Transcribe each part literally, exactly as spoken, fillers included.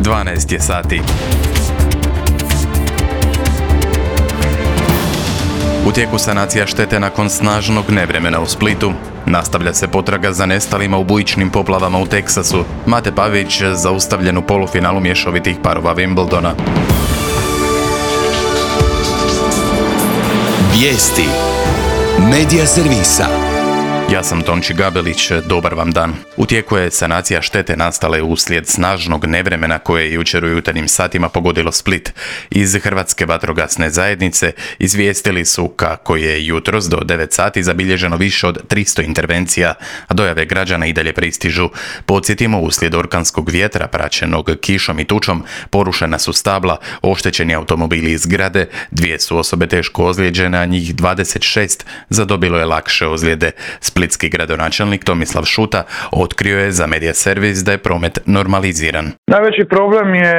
dvanaest je sati. U tijeku sanacija štete nakon snažnog nevremena u Splitu. Nastavlja se potraga za nestalima u bujičnim poplavama u Teksasu. Mate Pavić zaustavljen u polufinalu mješovitih parova Wimbledona. Vijesti Medija servisa. Ja sam Tonči Gabelić, dobar vam dan. U tijeku je sanacija štete nastale uslijed snažnog nevremena koje je jučer u jutarnjim satima pogodilo Split. Iz Hrvatske vatrogasne zajednice izvijestili su kako je jutros do devet sati zabilježeno više od tristo intervencija, a dojave građana i dalje pristižu. Podsjetimo, uslijed orkanskog vjetra praćenog kišom i tučom porušena su stabla, oštećeni automobili i zgrade, dvije su osobe teško ozlijeđene, a njih dvadeset šest zadobilo je lakše ozljede. Splitski gradonačelnik Tomislav Šuta otkrio je za Medija servis da je promet normaliziran. Najveći problem je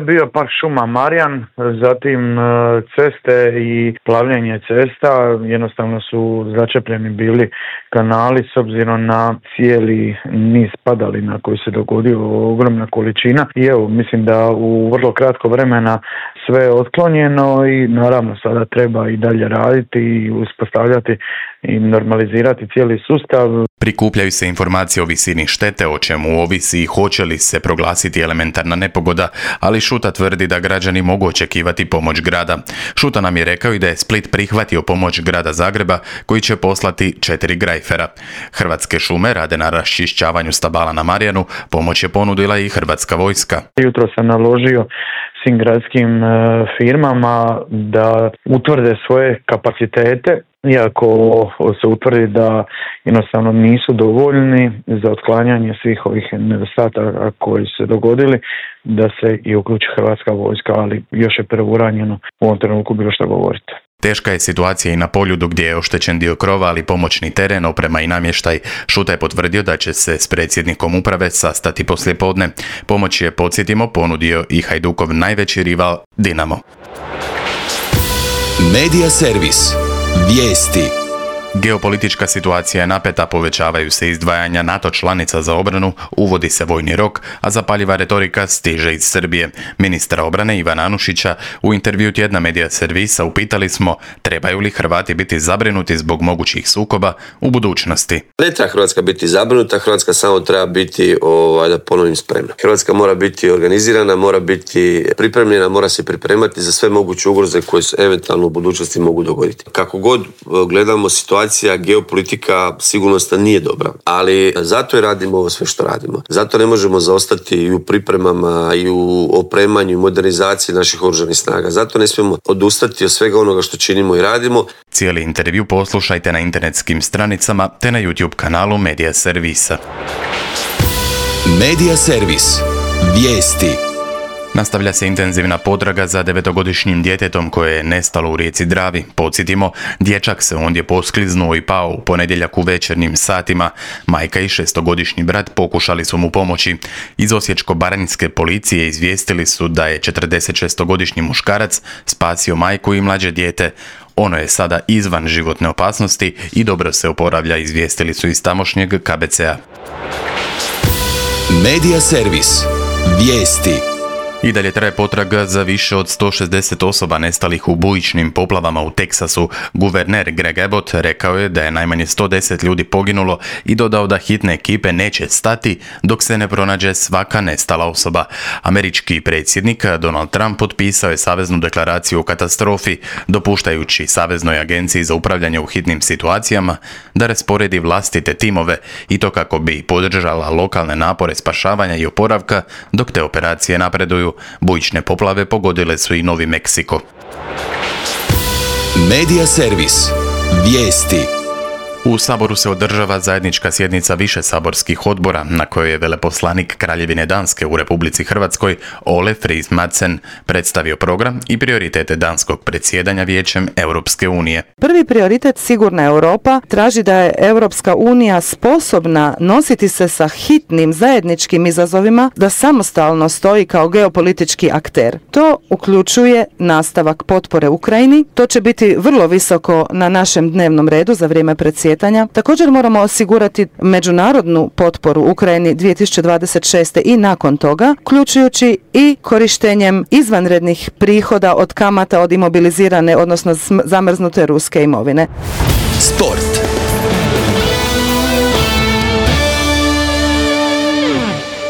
bio park šuma Marjan, zatim ceste i plavljenje cesta. Jednostavno su začepljeni bili kanali s obzirom na cijeli niz padalina koji se dogodio, ogromna količina. I evo, mislim da u vrlo kratko vremena sve je otklonjeno i naravno sada treba i dalje raditi i uspostavljati i normalizirati cijeli sustav. Prikupljaju se informacije o visini štete, o čemu ovisi i hoće li se proglasiti elementarna nepogoda, ali Šuta tvrdi da građani mogu očekivati pomoć grada. Šuta nam je rekao i da je Split prihvatio pomoć grada Zagreba, koji će poslati četiri grajfera. Hrvatske šume rade na raščišćavanju stabala na Marjanu, pomoć je ponudila i Hrvatska vojska. Jutro sam naložio svim gradskim firmama da utvrde svoje kapacitete, iako se utvrdi da jednostavno nisu dovoljni za otklanjanje svih ovih nedostataka koji su se dogodili, da se i uključi Hrvatska vojska, ali još je preuranjeno u ovom trenutku bilo što govoriti. Teška je situacija i na Poljudu gdje je oštećen dio krova, ali pomoćni teren, oprema i namještaj. Šuta je potvrdio da će se s predsjednikom uprave sastati poslijepodne. Pomoć je, podsjetimo, ponudio i Hajdukov najveći rival Dinamo. Medija servis. Vijesti. Geopolitička situacija je napeta, povećavaju se izdvajanja NATO članica za obranu, uvodi se vojni rok, a zapaljiva retorika stiže iz Srbije. Ministra obrane Ivana Anušića u intervju tjedna Medija servisa upitali smo trebaju li Hrvati biti zabrinuti zbog mogućih sukoba u budućnosti. Ne treba Hrvatska biti zabrinuta, Hrvatska samo treba biti, ovaj, da ponovim, spremna. Hrvatska mora biti organizirana, mora biti pripremljena, mora se pripremati za sve moguće ugroze koje se eventualno u budućnosti mogu dogoditi. Kako god gledamo situaciju, geopolitika sigurnosna nije dobra, ali zato i radimo ovo sve što radimo. Zato ne možemo zaostati i u pripremama i u opremanju i modernizaciji naših oružanih snaga. Zato ne smijemo odustati od svega onoga što činimo i radimo. Cijeli intervju poslušajte na internetskim stranicama te na YouTube kanalu Medija servisa. Medija servis. Vijesti. Nastavlja se intenzivna potraga za devetogodišnjim djetetom koje je nestalo u rijeci Dravi. Podsjetimo, dječak se ondje poskliznuo i pao u ponedjeljak u večernjim satima. Majka i šestogodišnji brat pokušali su mu pomoći. Iz osječko-baranjske policije izvijestili su da je četrdesetšestogodišnji muškarac spasio majku i mlađe dijete. Ono je sada izvan životne opasnosti i dobro se oporavlja, izvijestili su iz tamošnjeg K B C-a. Medija servis. Vijesti. I dalje traje potraga za više od sto šezdeset osoba nestalih u bujičnim poplavama u Teksasu. Guverner Greg Abbott rekao je da je najmanje sto deset ljudi poginulo i dodao da hitne ekipe neće stati dok se ne pronađe svaka nestala osoba. Američki predsjednik Donald Trump potpisao je saveznu deklaraciju o katastrofi, dopuštajući Saveznoj agenciji za upravljanje u hitnim situacijama da rasporedi vlastite timove i to kako bi podržala lokalne napore spašavanja i oporavka dok te operacije napreduju. Bujične poplave pogodile su i Novi Meksiko. Medija servis. Vijesti. U Saboru se održava zajednička sjednica više saborskih odbora na kojoj je veleposlanik Kraljevine Danske u Republici Hrvatskoj Ole Friis Madsen predstavio program i prioritete danskog predsjedanja Vijećem Europske unije. Prvi prioritet Sigurna Europa traži da je Europska unija sposobna nositi se sa hitnim zajedničkim izazovima, da samostalno stoji kao geopolitički akter. To uključuje nastavak potpore Ukrajini. To će biti vrlo visoko na našem dnevnom redu za vrijeme predsjedanja natjecanja. Također moramo osigurati međunarodnu potporu Ukrajini dvije tisuće dvadeset šeste i nakon toga, uključujući i korištenjem izvanrednih prihoda od kamata od imobilizirane, odnosno zamrznute ruske imovine. Sport.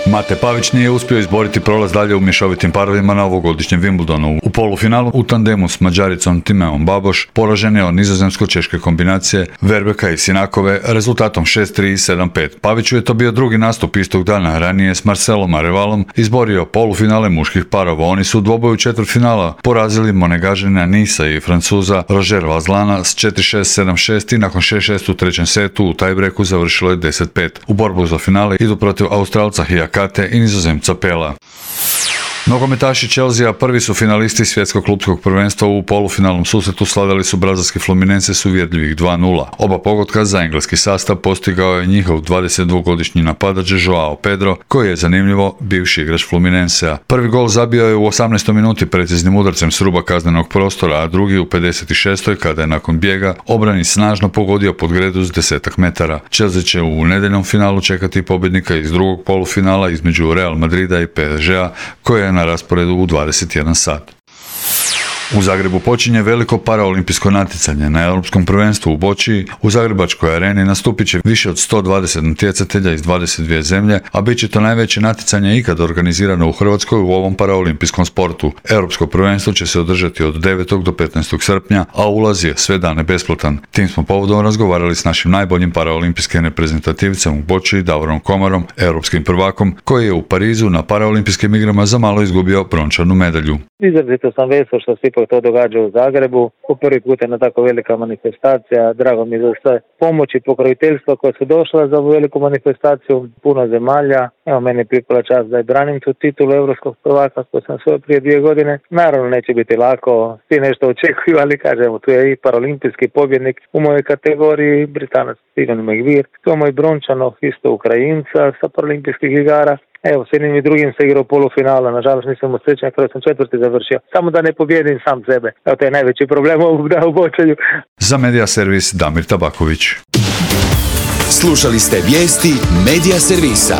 Mate Pavić nije uspio izboriti prolaz dalje u mješovitim parovima na ovogodišnjem Wimbledonu. U polufinalu u tandemu s Mađaricom Timeom Baboš poražen je od nizozemsko-češke kombinacije Verbeka i Sinakove rezultatom šest tri i sedam pet. Paviću je to bio drugi nastup istog dana. Ranije s Marcelom Arevalom izborio polufinale muških parova. Oni su u dvoboju četvrtfinala porazili Monegažina Nisa i Francuza Roger Vazlana s četiri šest sedam šest i nakon šest šest u trećem setu u tajbreku završilo je deset pet. U borbu za finale idu protiv Australca Hijaka i Nizozemca Pela. Nogometaši Chelsea prvi su finalisti svjetskog klupskog prvenstva. U polufinalnom susretu slavili su brazilski Fluminense s uvjerljivih dva nula. Oba pogotka za engleski sastav postigao je njihov dvadesetdvogodišnji napadač Joao Pedro, koji je zanimljivo bivši igrač Fluminensea. Prvi gol zabio je u osamnaestoj minuti preciznim udarcem s ruba kaznenog prostora, a drugi u pedeset šestoj kada je nakon bijega obrani snažno pogodio pod gredu s desetak metara. Chelsea će u nedjeljnom finalu čekati pobjednika iz drugog polufinala između Real Madrida i P S G-a, koje je na rasporedu u dvadeset jedan sat. U Zagrebu počinje veliko paraolimpijsko natjecanje. Na Europskom prvenstvu u Bočiji u Zagrebačkoj areni nastupit će više od sto dvadeset natjecatelja iz dvadeset dvije zemlje, a bit će to najveće natjecanje ikad organizirano u Hrvatskoj u ovom paraolimpijskom sportu. Europsko prvenstvo će se održati od devetog do petnaestog srpnja, a ulaz je sve dane besplatan. Tim smo povodom razgovarali s našim najboljim paraolimpijskim reprezentativcem u Bočiji, Davorom Komarom, europskim prvakom, koji je u Parizu na paraolimpijskim igrama za malo izgubio brončanu medalju. Izrazito sam vesel što se ipak to događa u Zagrebu. Po prvi put je na tako velika manifestacija. Drago mi je za sve pomoći i pokroviteljstva koja su došla za ovu veliku manifestaciju. Puno zemalja. Evo, meni je pripala čast da je branim tu titulu europskog prvaka koju sam svoj prije dvije godine. Naravno neće biti lako. Svi nešto očekuju, ali kažemo, tu je i paraolimpijski pobjednik u mojoj kategoriji, Britanac Steven McVeer. Tu je moj brončanov, isto Ukrajinca sa paraolimpijskih igara. Evo, s jednim i drugim se igrao polufinala, nažalost nisam usrećen kada sam četvrti završio. Samo da ne pobjedim sam sebe. Evo, to je najveći problem ovog da u Bočaju. Za Media Servis Damir Tabaković. Slušali ste vijesti Media Servisa.